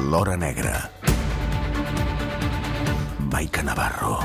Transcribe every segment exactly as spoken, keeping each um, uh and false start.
L'Hora Negra. Maica Navarro.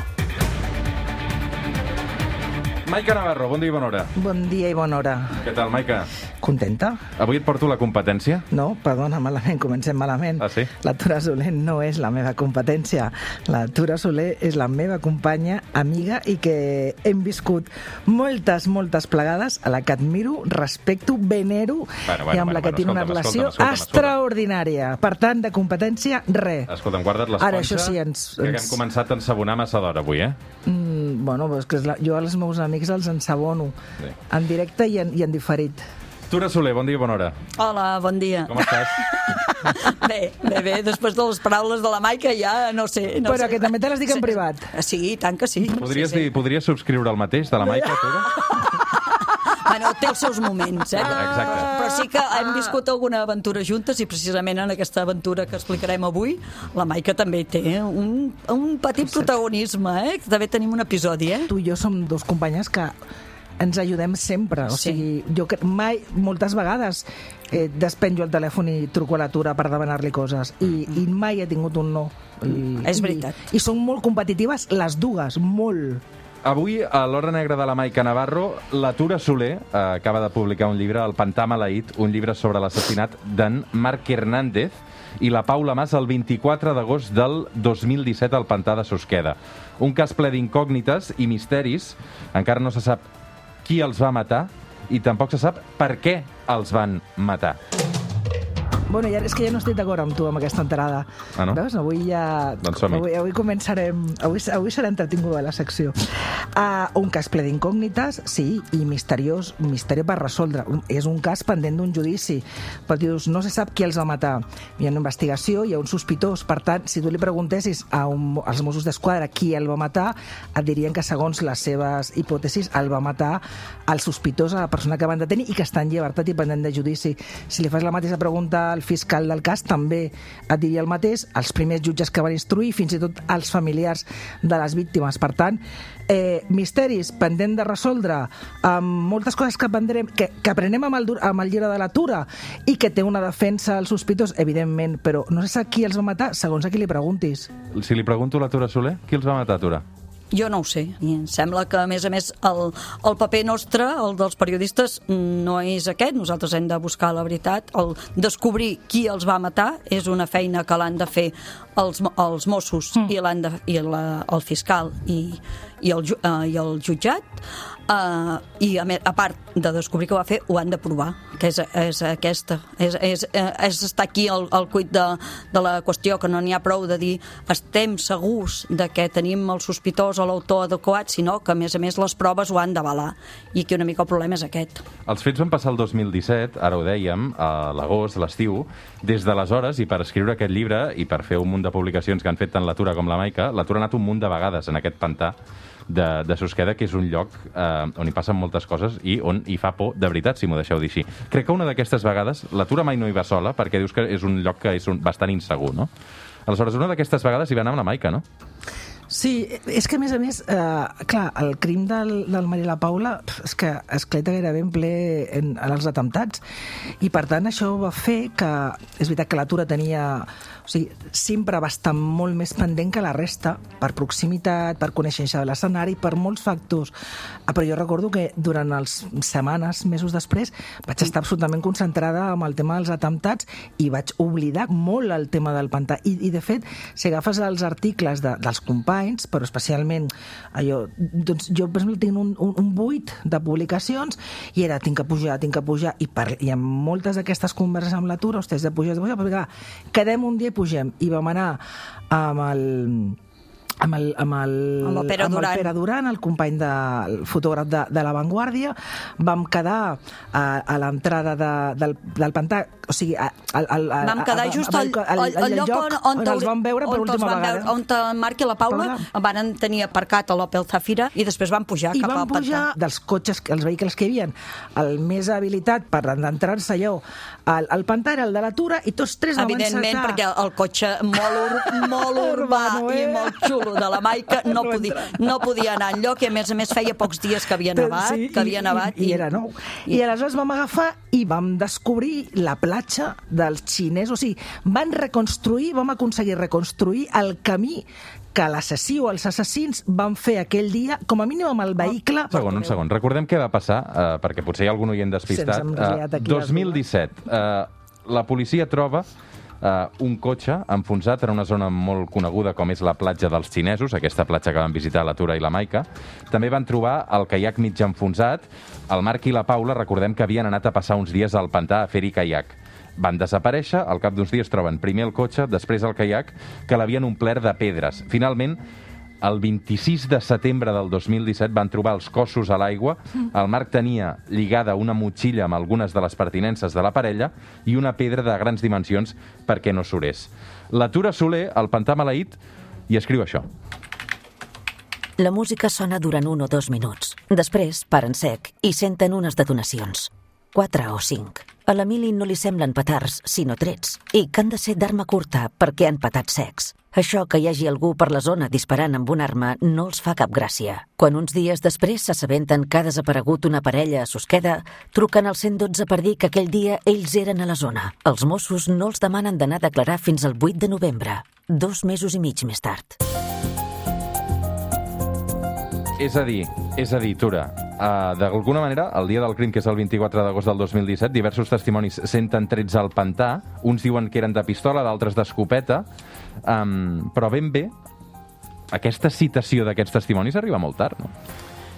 Maica Navarro, bon dia i bona hora. Bon dia i bona hora. Què tal, Maica? Contenta? Avui et porto la competència? No, perdona, malament, comencem malament. Ah, sí? La Tura Soler no és la meva competència. La Tura Soler és la meva companya, amiga, i que hem viscut moltes, moltes plegades, a la que admiro, respecto, venero, bueno, bueno, i amb bueno, la que bueno, tinc una escolta'm, relació escolta'm, escolta'm, extraordinària. Per tant, de competència, res. Escolta'm, guarda't l'esponja, Ara, això sí, ens, que ens... hem començat a ensabonar massa d'hora avui, eh? Mm, bueno, és que és la... jo als meus amics els ensabono, sí. En directe i en, i en diferit. Tura Soler, bon dia i bona hora. Hola, bon dia. Com estàs? Bé, bé, bé, després de les paraules de la Maica ja no sé... No Però sé. que també te les dic en sí, privat. Sí, tant que sí. Podries, sí, sí. dir, podries subscriure el mateix de la Maica, Tura? Bueno, té els seus moments, eh? Exacte. Però sí que hem viscut alguna aventura juntes i precisament en aquesta aventura que explicarem avui, la Maica també té un, un petit protagonisme, eh? També tenim un episodi, eh? Tu i jo som dos companyes que ens ajudem sempre, o Sí. sigui, jo que mai, moltes vegades eh, despenjo el telèfon i truco a la Tura per demanar-li coses i, i mai he tingut un no. I, És veritat. I, i són molt competitives les dues, molt. Avui, a l'Hora Negra de la Maica Navarro, la Tura Soler eh, acaba de publicar un llibre, El Pantà Maleït, un llibre sobre l'assassinat d'en Marc Hernández i la Paula Mas el vint-i-quatre d'agost del dos mil disset al Pantà de Susqueda. Un cas ple d'incògnites i misteris. Encara no se sap qui els va matar i tampoc se sap per què els van matar. Bueno, ja, és que ja no estic d'acord amb tu amb aquesta entrada. Ah, no? Veus? Avui ja... Doncs som-hi. Avui, avui començarem... Avui, avui serà entretinguda la secció. Uh, un cas ple d'incògnites, sí, i misteriós, misteri per resoldre. Un, és un cas pendent d'un judici. Però dius, no se sap qui els va matar. Hi ha una investigació, hi ha un sospitós. Per tant, si tu li preguntessis a un, als Mossos d'Esquadra qui el va matar, et dirien que segons les seves hipòtesis el va matar el sospitós, a la persona que van detenir i que està en llibertat i pendent de judici. Si li fas la mateixa pregunta al fiscal del cas, també et diria el mateix, els primers jutges que van instruir, fins i tot els familiars de les víctimes. Per tant, eh, misteris pendent de resoldre, amb moltes coses que aprendrem, que, que aprenem amb el, amb el llibre de la Tura i que té una defensa als sospitós, evidentment, però no sé qui els va matar segons a qui li preguntis. Si li pregunto a la Tura Soler, qui els va matar, Tura? Jo no ho sé. I em sembla que, a més a més, el, el paper nostre, el dels periodistes, no és aquest. Nosaltres hem de buscar la veritat. El descobrir qui els va matar és una feina que l'han de fer els, els Mossos mm. i, l'han de, i la, el fiscal i, i, el, uh, i el jutjat. Uh, I a, a part de descobrir què va fer, ho han de provar, que és, és aquesta és, és, és estar aquí el, el cuit de, de la qüestió, que no n'hi ha prou de dir estem segurs de que tenim el sospitós o l'autor adequat, sinó que a més a més les proves ho han d'avalar, i aquí una mica el problema és aquest. Els fets van passar el dos mil disset, ara ho dèiem, a l'agost, a l'estiu. Des d'aleshores, i per escriure aquest llibre i per fer un munt de publicacions que han fet tant la Tura com la Maica, la Tura ha anat un munt de vegades en aquest pantà de, de Susqueda, que és un lloc eh, on hi passen moltes coses i on hi fa por de veritat, si m'ho deixeu dir així. Crec que una d'aquestes vegades, la Tura mai no hi va sola, perquè dius que és un lloc que és un, bastant insegur, no? Aleshores, una d'aquestes vegades hi va anar amb la Maica, no? Sí, és que a més a més, eh, clar, el crim del, del Maria i la Paula és que esclata gairebé en ple en, en els atemptats, i per tant això va fer que, és veritat que la Tura tenia, o sigui, sempre va estar molt més pendent que la resta, per proximitat, per coneixença de l'escenari, per molts factors. Ah, però jo recordo que durant les setmanes, mesos després, vaig estar absolutament concentrada amb el tema dels atemptats i vaig oblidar molt el tema del pantà. I, i de fet, si agafes els articles de, dels companys, però especialment allò, doncs jo per exemple tinc un, un, un buit de publicacions i era tinc que pujar, tinc que pujar i, per, i amb moltes d'aquestes converses amb la Tura, hòstia, de pujar, de pujar, però clar, quedem un dia i pugem, i vam anar amb el amb el, amb el, amb el Pere amb Duran, el, Pere Duran, el company de, el fotògraf de, de La Vanguardia. Vam quedar a, a l'entrada de, del, del pantà, o sigui, a, a, a, a, vam quedar just al, al, al, al lloc on, on, on els vam veure per última vegada. Veure, on en Marc i la Paula, Paula van tenir aparcat a l'Opel Zafira i després van pujar I cap al pantà. I van pujar dels cotxes, els vehicles que hi havia, el més habilitat per entrar-se allò al, al pantà era el de la Tura, i tots tres vam encetar. Evidentment, perquè el cotxe molt, ur, molt urbà i molt xulo xulo de la Maica no podia, no podia anar enlloc i a més a més feia pocs dies que havia nevat, sí, que havia i, nevat. I, i era nou. I, I aleshores vam agafar i vam descobrir la platja dels xinesos. O sigui, van reconstruir, vam aconseguir reconstruir el camí que l'assassí o els assassins van fer aquell dia, com a mínim amb el vehicle... Un segon, un segon. Recordem què va passar, eh, perquè potser hi ha algun oient despistat. Eh, dos mil disset, eh, la policia troba Uh, un cotxe enfonsat en una zona molt coneguda com és la platja dels xinesos, aquesta platja que van visitar la Tura i la Maica. També van trobar el caiac mig enfonsat. El Marc i la Paula, recordem que havien anat a passar uns dies al pantà a fer-hi caiac. Van desaparèixer, al cap d'uns dies troben primer el cotxe, després el caiac, que l'havien omplert de pedres. Finalment, el vint-i-sis de setembre del dos mil disset van trobar els cossos a l'aigua. El Marc tenia lligada una motxilla amb algunes de les pertinences de la parella i una pedra de grans dimensions perquè no surés. La Tura Soler, al pantà maleït, i escriu això. La música sona durant un o dos minuts. Després paren sec i senten unes detonacions. Quatre o cinc. A l'Emili no li semblen petards, sinó trets, i que han de ser d'arma curta perquè han petat secs. Això que hi hagi algú per la zona disparant amb una arma no els fa cap gràcia. Quan uns dies després s'assabenten que ha desaparegut una parella a Susqueda, truquen al cent dotze per dir que aquell dia ells eren a la zona. Els Mossos no els demanen d'anar a declarar fins al vuit de novembre, dos mesos i mig més tard. És a dir, és a dir, Tura, uh, d'alguna manera, el dia del crim, que és el vint-i-quatre d'agost del dos mil disset, diversos testimonis senten trets al pantà, uns diuen que eren de pistola, d'altres d'escopeta, um, però ben bé, aquesta citació d'aquests testimonis arriba molt tard, no?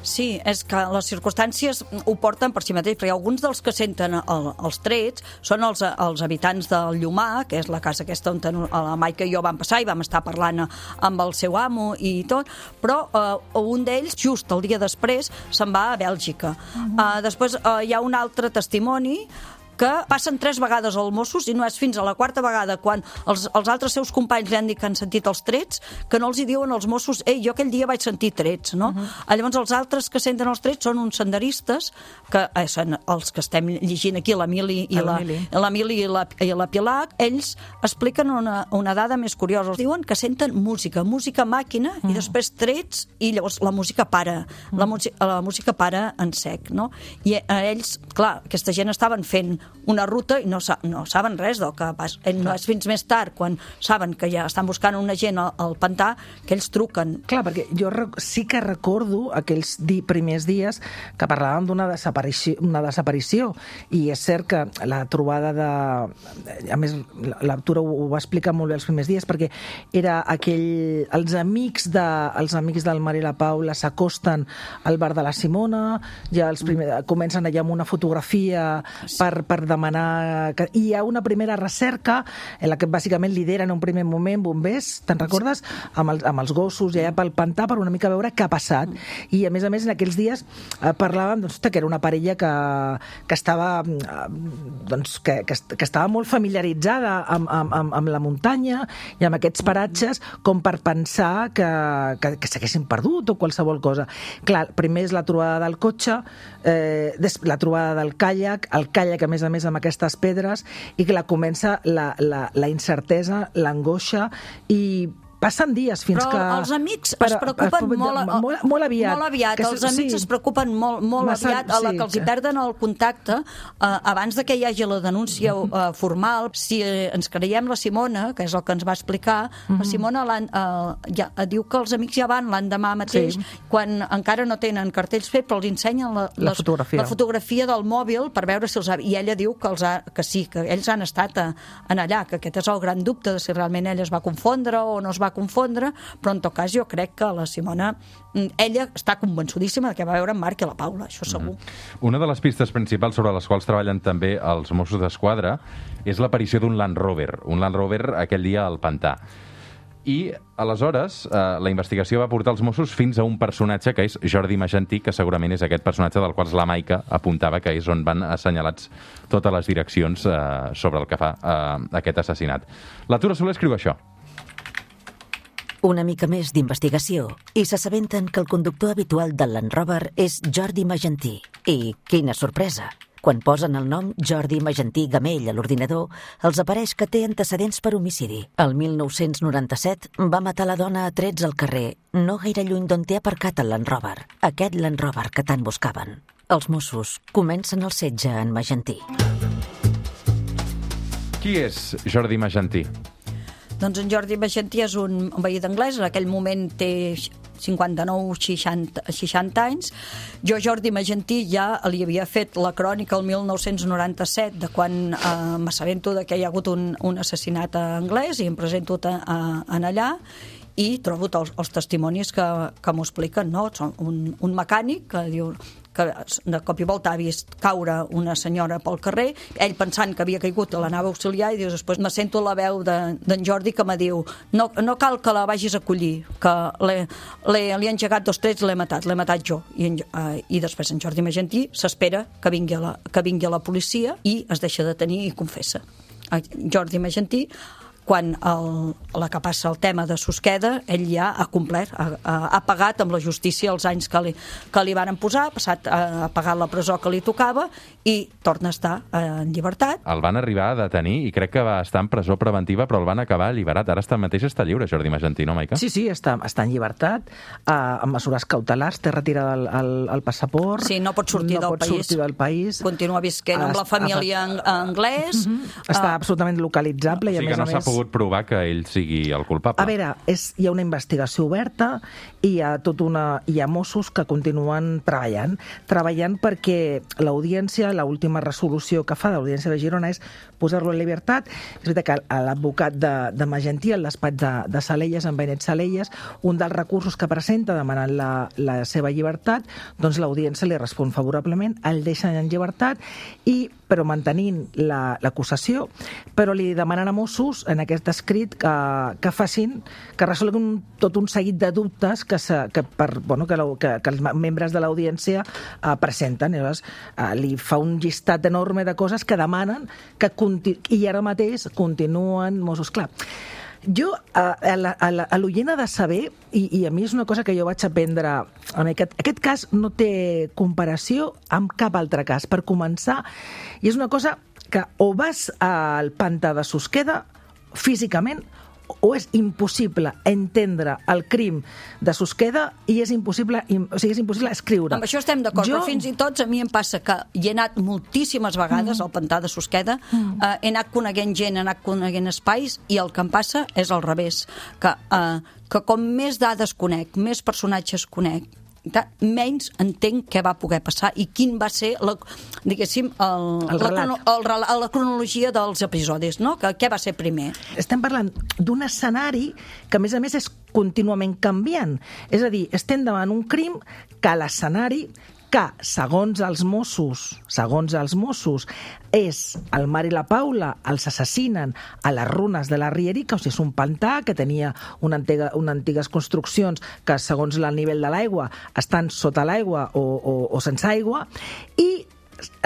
Sí, és que les circumstàncies ho porten per si mateix, perquè alguns dels que senten el, els trets són els, els habitants del Llomar, que és la casa aquesta on la Maica i jo vam passar i vam estar parlant amb el seu amo i tot, però eh, un d'ells, just el dia després, se'n va a Bèlgica. Uh-huh. eh, després eh, hi ha un altre testimoni que passen tres vegades als Mossos i no és fins a la quarta vegada quan els, els altres seus companys li han dit que han sentit els trets que no els hi diuen als Mossos ei, jo aquell dia vaig sentir trets, no? Uh-huh. Llavors els altres que senten els trets són uns senderistes que eh, són els que estem llegint aquí, l'Emili i la, l'Emili i la, i la Pilar. Ells expliquen una, una dada més curiosa. Diuen que senten música, música màquina uh-huh. i després trets i llavors la música para, uh-huh. la, la música para en sec, no? I eh, ells, clar, aquesta gent estaven fent una ruta i no, sa no saben res del que passa. No és fins més tard, quan saben que ja estan buscant una gent al, al pantà, que ells truquen. Clar, perquè jo sí que recordo aquells di primers dies que parlàvem d'una desaparició, una desaparició, i és cert que la trobada de... A més, la Tura ho, ho va explicar molt bé els primers dies, perquè era aquell... Els amics, de, els amics del Mar i la Paula s'acosten al bar de la Simona, ja els primer, comencen allà amb una fotografia per, per per demanar... Que... I hi ha una primera recerca en la que bàsicament lideren en un primer moment bombers, te'n recordes? Amb, el, amb els gossos i allà pel pantà per una mica veure què ha passat. I a més a més en aquells dies eh, parlàvem doncs, que era una parella que, que estava eh, doncs, que, que, que estava molt familiaritzada amb, amb, amb, amb la muntanya i amb aquests paratges com per pensar que, que, que s'haguessin perdut o qualsevol cosa. Clar, primer és la trobada del cotxe, eh, la trobada del caiac, el caiac a més a més amb aquestes pedres, i que la comença la, la, la incertesa, l'angoixa, i passen dies fins però que... Però els amics es preocupen per, molt, molt, molt aviat. Molt aviat. Els amics sí. es preocupen molt, molt Massa, aviat a la que els hi perden el contacte eh, abans de que hi hagi la denúncia eh, formal. Si eh, ens creiem la Simona, que és el que ens va explicar, mm-hmm. la Simona eh, ja, diu que els amics ja van l'endemà mateix, sí. quan encara no tenen cartells fets, però els ensenyen la, la, les, fotografia. la fotografia del mòbil per veure si els ha... I ella diu que, els ha, que sí, que ells han estat a, en allà, que aquest és el gran dubte de si realment ella es va confondre o no es va confondre, però en tot cas jo crec que la Simona, ella està convençudíssima que va veure en Marc i la Paula, això segur. Mm. Una de les pistes principals sobre les quals treballen també els Mossos d'Esquadra és l'aparició d'un Land Rover, un Land Rover aquell dia al pantà. I, aleshores, eh, la investigació va portar els Mossos fins a un personatge que és Jordi Magentí, que segurament és aquest personatge del qual la Maica apuntava que és on van assenyalats totes les direccions eh, sobre el que fa eh, aquest assassinat. La Tura Soler escriu això. Una mica més d'investigació i s'assabenten que el conductor habitual del Land Rover és Jordi Magentí. I, quina sorpresa! Quan posen el nom Jordi Magentí Gamell a l'ordinador, els apareix que té antecedents per homicidi. El mil nou-cents noranta-set va matar la dona a trets al carrer, no gaire lluny d'on té aparcat el Land Rover, aquest Land Rover que tant buscaven. Els Mossos comencen el setge en Magentí. Qui és Jordi Magentí? Doncs en Jordi Magentí és un veí d'Anglès, en aquell moment té cinquanta-nou seixanta, seixanta anys. Jo, Jordi Magentí, ja li havia fet la crònica el mil nou-cents noranta-set, de quan eh, m'assabento que hi ha hagut un, un assassinat a Anglès i em presento a, a, en allà i trobo els, els testimonis que, que m'ho expliquen, no? Un, un mecànic que diu que de cop i volta ha vist caure una senyora pel carrer, ell pensant que havia caigut a l'anava a auxiliar i dius, després me sento la veu d'en de, Jordi que me diu no, no cal que la vagis a collir, que li he engegat dos trets, l'he matat, l'he matat jo. I, en, uh, i després en Jordi Magentí s'espera que vingui, a la, que vingui a la policia i es deixa detenir i confessa. Jordi Magentí, quan el, la que passa el tema de Susqueda, ell ja ha complert, ha, ha pagat amb la justícia els anys que li, que li van posar, ha passat a pagar la presó que li tocava i torna a estar en llibertat. El van arribar a detenir i crec que va estar en presó preventiva, però el van acabar alliberat. Ara està mateix està lliure, Jordi Magentí, no, Maica? Sí, sí, està, està en llibertat, uh, amb mesures cautelars, té retirada el, el, el passaport. Sí, no pot sortir, no del, pot país. sortir del país. Continua visquent amb la família en anglès. Mm-hmm. Està uh, absolutament localitzable. O sigui i a que més no s'ha pogut provar que ell sigui el culpable. A veure, és, hi ha una investigació oberta i hi ha, tot una, hi ha Mossos que continuen treballant, treballant perquè l'audiència, l'última resolució que fa de l'Audiència de Girona és posar-lo en llibertat. És veritat que l'advocat de, de Magentí, el despatx de, de Salelles, en Benet Salelles, un dels recursos que presenta demanant la, la seva llibertat, doncs l'audiència li respon favorablement, el deixen en llibertat, i, però mantenint l'acusació, la, però li demanen a Mossos, en aquest escrit, que, que facin, que resolguin tot un seguit de dubtes que, se, que, per, bueno, que, la, que, que els membres de l'audiència eh, presenten. I llavors eh, li fa un llistat enorme de coses que demanen que i ara mateix continuen Mossos. Clar, jo, a, a l'oient ha de saber, i, i a mi és una cosa que jo vaig aprendre, en aquest, aquest cas no té comparació amb cap altre cas. Per començar, i és una cosa que o vas al pantà de Susqueda físicament, o és impossible entendre el crim de Susqueda i és impossible, o sigui, és impossible escriure. Amb això estem d'acord, jo... però fins i tot a mi em passa que hi he anat moltíssimes vegades mm. al pantà de Susqueda, mm. eh, he anat coneguent gent, he anat coneguent espais, i el que em passa és al revés, que, eh, que com més dades conec, més personatges conec, menys entenc què va poder passar i quin va ser la, diguéssim, el, el la, el, la cronologia dels episodis, no? Que, què va ser primer? Estem parlant d'un escenari que, a més a més, és contínuament canviant. És a dir, estem davant un crim que l'escenari que, segons els Mossos, segons els Mossos, és el Mar i la Paula, els assassinen a les runes de la Rierica, o sigui, és un pantà que tenia una antiga, una antigues construccions que, segons el nivell de l'aigua, estan sota l'aigua o, o, o sense aigua, i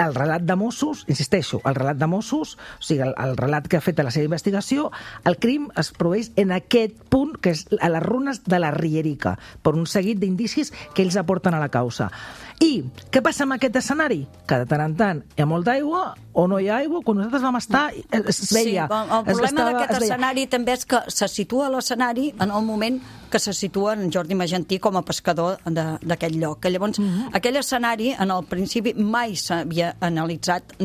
el relat de Mossos, insisteixo, el relat de Mossos, o sigui, el, el relat que ha fet a la seva investigació, el crim es produeix en aquest punt, que és a les runes de la Rierica, per un seguit d'indicis que ells aporten a la causa. I què passa amb aquest escenari? Que de tant en tant hi ha molta aigua o no hi ha aigua. Quan nosaltres vam estar, es veia... Sí, el problema d'aquest escenari també és que se situa l'escenari en el moment que se situa en Jordi Magentí com a pescador d'aquell lloc. Que llavors, uh-huh. aquell escenari, en el principi, mai s'havia analitzat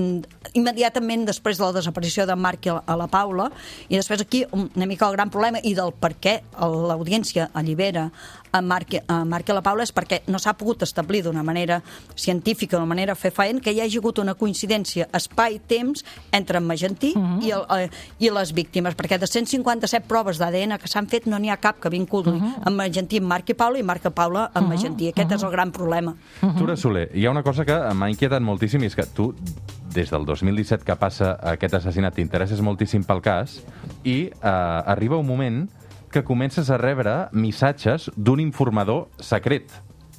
immediatament després de la desaparició de Marc a la Paula, i després aquí una mica el gran problema i del per què l'audiència allibera a Marc, a Marc i a la Paula és perquè no s'ha pogut establir d'una manera científica, d'una manera fefaent, que hi hagi hagut una coincidència espai-temps entre en Magentí uh-huh. i, el, eh, i les víctimes, perquè de cent cinquanta-set proves d'A D N que s'han fet no n'hi ha cap que vinculi uh-huh. en Magentí amb Marc i Paula i Marc i Paula amb uh-huh. Magentí. Aquest uh-huh. és el gran problema. Uh-huh. Tura Soler, hi ha una cosa que m'ha inquietat moltíssim i és que tu, des del dos mil disset que passa aquest assassinat, t'interesses moltíssim pel cas i eh, arriba un moment que comences a rebre missatges d'un informador secret.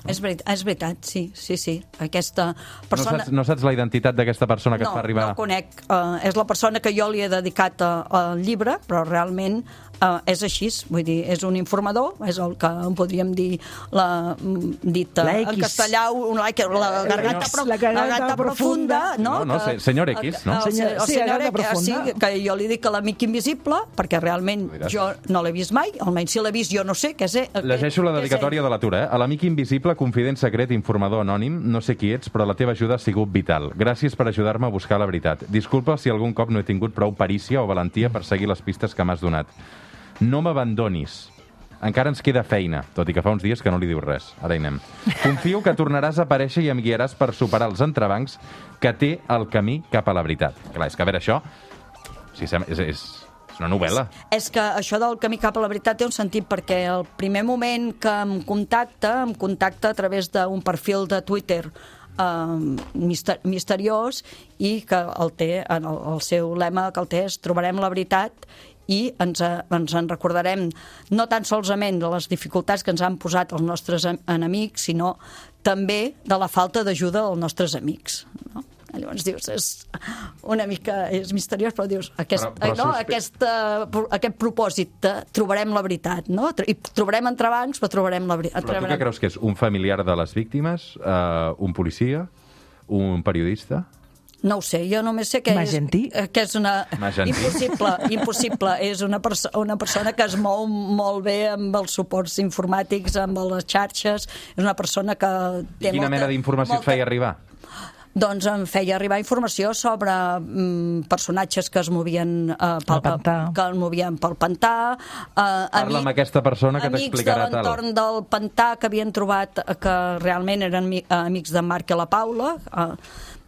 És veritat, és veritat, sí, sí, sí. Aquesta persona... No saps, no saps la identitat d'aquesta persona que no, et fa arribar... No, no conec. Uh, és la persona que jo li he dedicat al llibre, però realment uh, és així. Vull dir, és un informador, és el que en podríem dir la, dit uh, en castellà, un, la, la garganta, pro, la garganta profunda. No, no, no que, senyor X, no? El, senyor, el, el sí, senyor garganta X, profunda. sí, que jo li dic a l'amic invisible, perquè realment jo no l'he vist mai, almenys si l'he vist jo no sé què és. Llegeixo la dedicatòria de l'atura, eh? A l'amic invisible, confident secret, informador anònim, no sé qui ets, però la teva ajuda ha sigut vital. Gràcies per ajudar-me a buscar la veritat. Disculpa si algun cop no he tingut prou perícia o valentia per seguir les pistes que m'has donat. No m'abandonis. Encara ens queda feina, tot i que fa uns dies que no li dius res. Ara hi anem. Confio que tornaràs a aparèixer i em guiaràs per superar els entrebancs que té el camí cap a la veritat. Clar, és que a veure, això... Sí, és, és, és una novel·la. És, és que això del camí cap a la veritat té un sentit, perquè el primer moment que em contacta, em contacta a través d'un perfil de Twitter eh, mister, misteriós, i que el té, en el, el seu lema que el té és trobarem la veritat i ens, ens en recordarem no tan solament de les dificultats que ens han posat els nostres enemics, sinó també de la falta d'ajuda dels nostres amics, no? Llavors dius, és una mica és misteriós, però dius, aquest, però, però no, suspe... aquest, uh, aquest propòsit de trobarem la veritat, no? I trobarem entrebancs, però trobarem la veritat. Però tu què creus que és? Un familiar de les víctimes? Uh, un policia? Un periodista? No ho sé, jo només sé que Magentí? és, que és una... Magentí. Impossible, impossible. És una, perso una persona que es mou molt bé amb els suports informàtics, amb les xarxes, és una persona que té I quina molta, mena d'informació molta... et feia arribar? Doncs em feia arribar informació sobre mm, personatges que es movien uh, pel pantà. que es movien pel pantà. Uh, Parla amic, amb aquesta persona que t'explicarà tal. Amics de l'entorn del pantà que havien trobat que realment eren uh, amics de Marc i la Paula. Uh,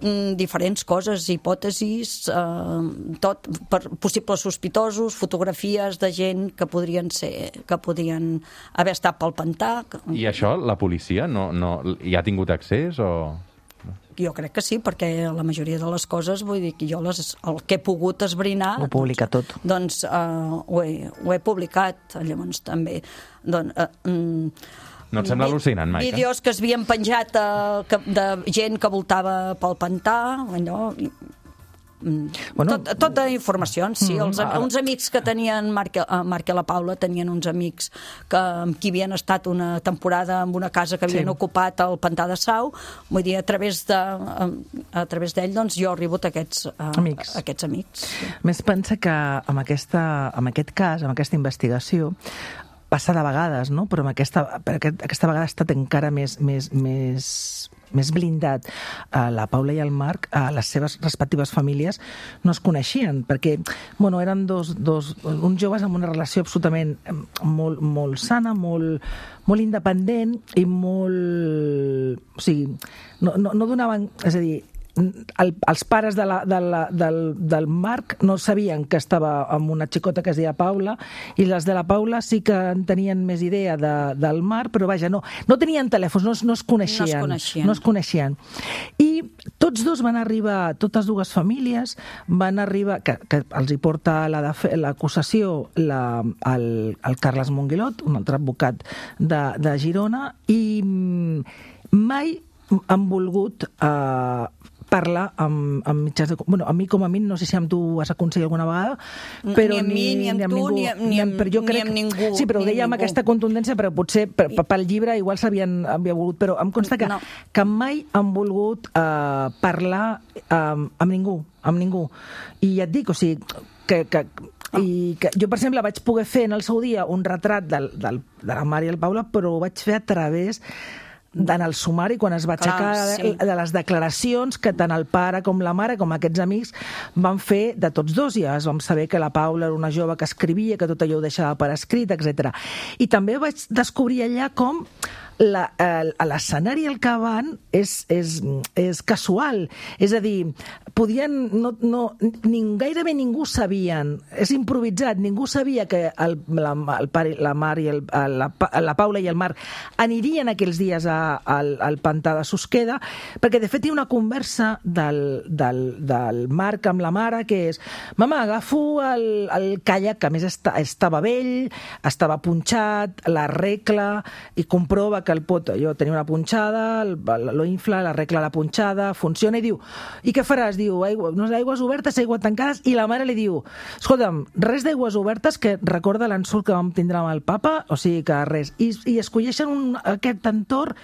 mm, diferents coses, hipòtesis, uh, tot, per, possibles sospitosos, fotografies de gent que podrien ser, que podien haver estat pel pantà. I això, la policia, no, no, hi ha tingut accés o...? Jo crec que sí, perquè la majoria de les coses, vull dir que jo les, el que he pogut esbrinar... Ho publica tot. Doncs uh, ho, he, ho he publicat, llavors també... Doncs, uh, um, no et sembla al·lucinant, Maica? Vídeos que es havien penjat uh, que, de gent que voltava pel pantà, allò... Bueno, tot, tota informacions, sí. Els, mm, uns amics que tenien, Marc, Marc i la Paula tenien uns amics que, amb qui havien estat una temporada en una casa que havien sí. ocupat al pantà de Sau. Vull dir, a través de, a, a través d'ell, doncs, jo he rebut aquests, uh, amics. aquests amics. Més pensa que amb, aquesta, amb aquest cas, amb aquesta investigació, passa de vegades, no? Però amb aquesta, per aquest, aquesta vegada ha estat encara més, més, més, més blindat. Uh, la Paula i el Marc, uh, les seves respectives famílies, no es coneixien, perquè bueno, eren dos, dos, uns joves amb una relació absolutament molt, molt sana, molt, molt independent i molt... O sigui, no, no, no donaven... És a dir, el, els pares de la, de la, del, del Marc no sabien que estava amb una xicota que es deia Paula, i les de la Paula sí que en tenien més idea de, del Marc, però vaja, no, no tenien telèfons, no, no es coneixien. No es coneixien. No es coneixien. I tots dos van arribar, totes dues famílies van arribar, que, que els hi porta l'acusació la, el, el Carles Monguilot, un altre advocat de, de Girona, i mai han volgut eh, parlar amb, amb mitjans de... Bueno, a mi com a mi, no sé si amb tu has aconseguit alguna vegada, però ni amb mi, ni amb, ni amb tu, ningú, ni amb, ni amb, però jo crec, ni amb ningú. Sí, però ho deia amb aquesta contundència, però potser per, per, pel llibre igual s'havien havia volgut, però em consta que, no. que mai han volgut uh, parlar um, amb ningú, amb ningú. I ja et dic, o sigui, que... que i que jo, per exemple, vaig poder fer en el seu dia un retrat del, del, de la Mare i el Paula, però ho vaig fer a través en el sumari, quan es va aixecar sí. de les declaracions que tant el pare com la mare, com aquests amics, van fer de tots dos. Ja es vam saber que la Paula era una jove que escrivia, que tot allò ho deixava per escrit, etcètera. I també vaig descobrir allà com l'escenari al que van és, és, és casual. És a dir, podien... No, no, ni, gairebé ningú sabien, és improvisat, ningú sabia que el, la, el pare, la Mar i el, la, la Paula i el Marc anirien aquells dies a, al, al pantà de Susqueda, perquè de fet hi ha una conversa del, del, del Marc amb la mare que és: mama, agafo el, el caiac, que a més està, estava vell, estava punxat, l'arregla i comprova que el pot, jo tenia una punxada, lo infla, l'arregla la punxada, funciona, i diu, i què faràs? Diu, aigua, no, aigües obertes, aigua tancades, i la mare li diu, escolta'm, res d'aigües obertes que recorda l'ensurt que vam tindre amb el papa, o sigui que res. I, i escolleixen un, aquest entorn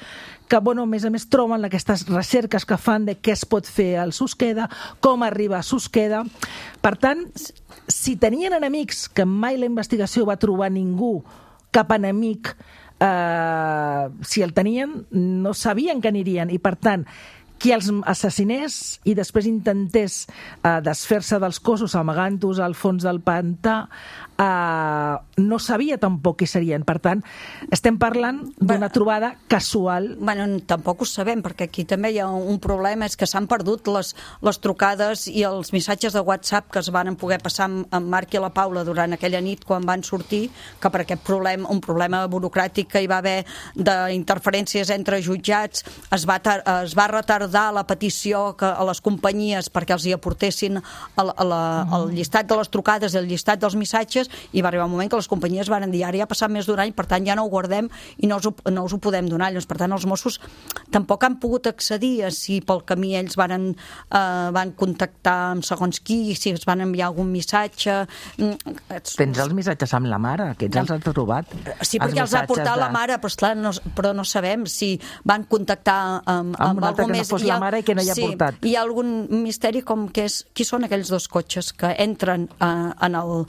que, bueno, a més a més troben aquestes recerques que fan de què es pot fer al Susqueda, com arriba a Susqueda. Per tant, si tenien enemics, que mai la investigació va trobar ningú, cap enemic, eh, si el tenien, no sabien que anirien, i per tant, qui els assassinés i després intentés eh, desfer-se dels cossos amagant-los al fons del pantà, eh, no sabia tampoc qui serien. Per tant, estem parlant d'una trobada casual. Bueno, tampoc ho sabem, perquè aquí també hi ha un problema, és que s'han perdut les, les trucades i els missatges de WhatsApp que es van poder passar amb, amb Marc i la Paula durant aquella nit quan van sortir, que per aquest problema, un problema burocràtic que hi va haver d'interferències entre jutjats, es va, tar es va retardar la petició que a les companyies perquè els hi aportessin el, el, el llistat de les trucades i el llistat dels missatges, i va arribar un moment que les companyies van dir, ara ja ha passat més d'un any, per tant ja no ho guardem i no us ho, no us ho podem donar. Llavors, per tant, els Mossos tampoc han pogut accedir a si pel camí ells van, eh, van contactar amb segons qui, si es van enviar algun missatge. Tens els missatges amb la mare, aquests els has trobat? Sí, perquè els ha portat de... la mare, però, esclar, no, però no sabem si van contactar amb, amb, amb algú més. La mare i que no hi ha sí, portat. Hi ha algun misteri com que és qui són aquells dos cotxes que entren eh, en, el,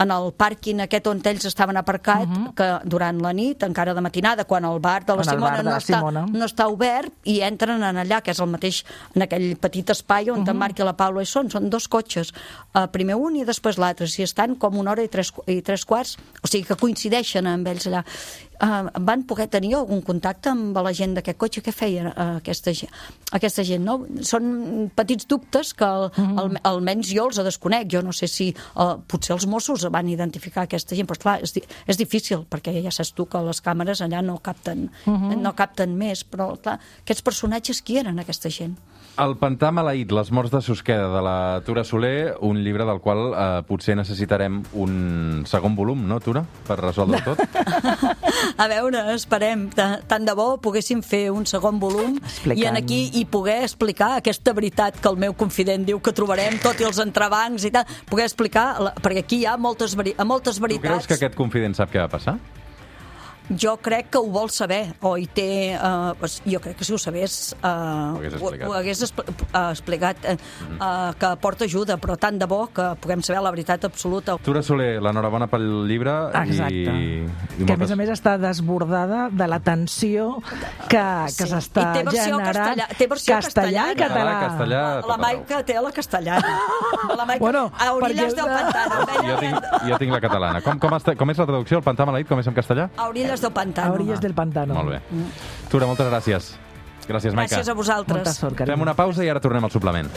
en el pàrquing aquest on ells estaven aparcat, uh -huh. que durant la nit, encara de matinada, quan el bar de la en Simona bar de no, la està, Simona. no està obert, i entren en allà, que és el mateix, en aquell petit espai on uh -huh. en Marc i la Paula hi són. Són dos cotxes, eh, primer un i després l'altre, si estan com una hora i tres, i tres quarts, o sigui que coincideixen amb ells allà. Uh, van poder tenir algun contacte amb la gent d'aquest cotxe? Què feia uh, aquesta, aquesta gent? No? Són petits dubtes que el, mm. el, almenys jo els desconec. Jo no sé si uh, potser els Mossos van identificar aquesta gent, però clar, és, és difícil, perquè ja saps tu que les càmeres allà no capten, mm -hmm. no capten més, però clar, aquests personatges, qui eren aquesta gent? El pantà maleït, les morts de Susqueda, de la Tura Soler, un llibre del qual eh, potser necessitarem un segon volum, no, Tura? Per resoldre tot? A veure, esperem. Tant de bo poguéssim fer un segon volum explicant. I en aquí i poder explicar aquesta veritat que el meu confident diu que trobarem, tot i els entrebancs i tal, poder explicar, perquè aquí hi ha moltes, veri moltes veritats. Tu creus que aquest confident sap què va passar? Jo crec que ho vol saber, o hi té... Uh, jo crec que si ho sabés uh, ho hagués explicat, ho, ho hagués expl uh, explicat uh, mm -hmm. uh, que porta ajuda, però tant de bo que puguem saber la veritat absoluta. Tura Soler, l'enhorabona pel llibre. Exacte. I, i que moltes... a més a més està desbordada de la tensió que, que sí. s'està generant. Castellà, té versió castellà i català. Castellà, la la Maica té la castellana. La Maica, bueno, a Orilles del Pantano. Jo tinc, jo tinc la catalana. Com, com, està, com és la traducció? El pantà maleït, com és en castellà? A Orilles del Pantano. A Orilles del Pantano. Molt bé. Tura, moltes gràcies. Gràcies, Maica. Gràcies a vosaltres. Molta sort, carinyo. Fem una pausa i ara tornem al suplement.